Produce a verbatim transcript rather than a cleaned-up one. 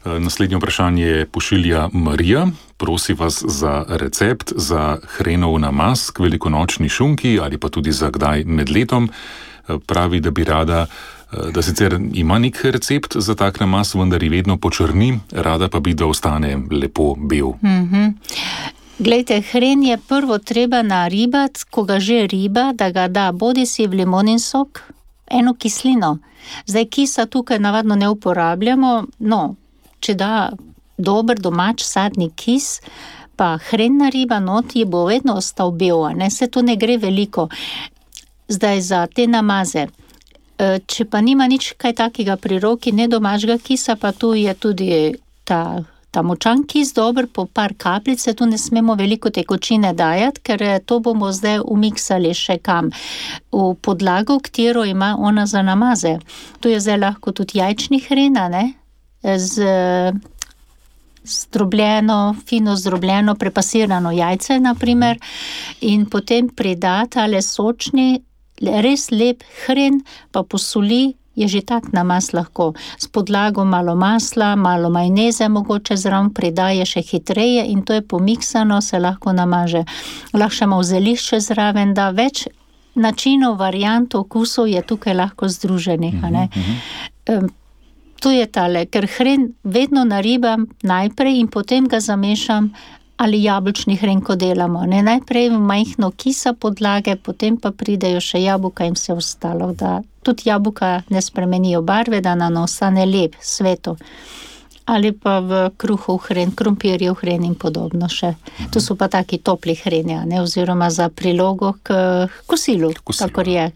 Naslednje vprašanje pošilja Marija. Prosi vas za recept za hrenov namaz k velikonočni šunki ali pa tudi za kdaj med letom. Pravi, da bi rada, da sicer ima nek recept za tak namaz, vendar je vedno počrni, rada pa bi, da ostane lepo bel. Mm-hmm. Glejte, hren je prvo treba naribati, ko ga že riba, da ga da bodi si v limonin sok, eno kislino. Zdaj kisa tukaj navadno ne uporabljamo, no, če da dober domač sadni kis, pa hren nariba not, je bo vedno ostal bel, ne, se to ne gre veliko. Zdaj za te namaze, če pa nima nič kaj takega pri roki, ne domačega kisa, pa tu je tudi ta, ta močan kis dober, po par kapljice, tu ne smemo veliko tekočine dajati, ker to bomo zdaj umiksali še kam. V podlago, katero ima ona za namaze. Tu je zdaj lahko tudi jajčni hrena, ne, z zdrobljeno, fino zdrobljeno, prepasirano jajce, naprimer, in potem pridati ale sočni, res lep hren, pa posoli, je že tak namaz lahko. S podlago malo masla, malo majoneze mogoče zraven pridaje še hitreje in to je pomiksano, se lahko namaže. Lahko še malo zelišče zraven, da več načinov, variant, okusov je tukaj lahko združenih, a ne. Um, to je tale, ker hren vedno naribam najprej in potem ga zamešam ali jabolčni hren, ko delamo. Ne, najprej majhno kisa podlage, potem pa pridejo še jabolka in vse ostalo, da tudi jabolka ne spremenijo barve, da nam ostane lep, sveto. Ali pa v kruhu hren, krompirjev hren in podobno še. To so pa taki topli hreni, ne, oziroma za prilogo k kosilu, kakor je.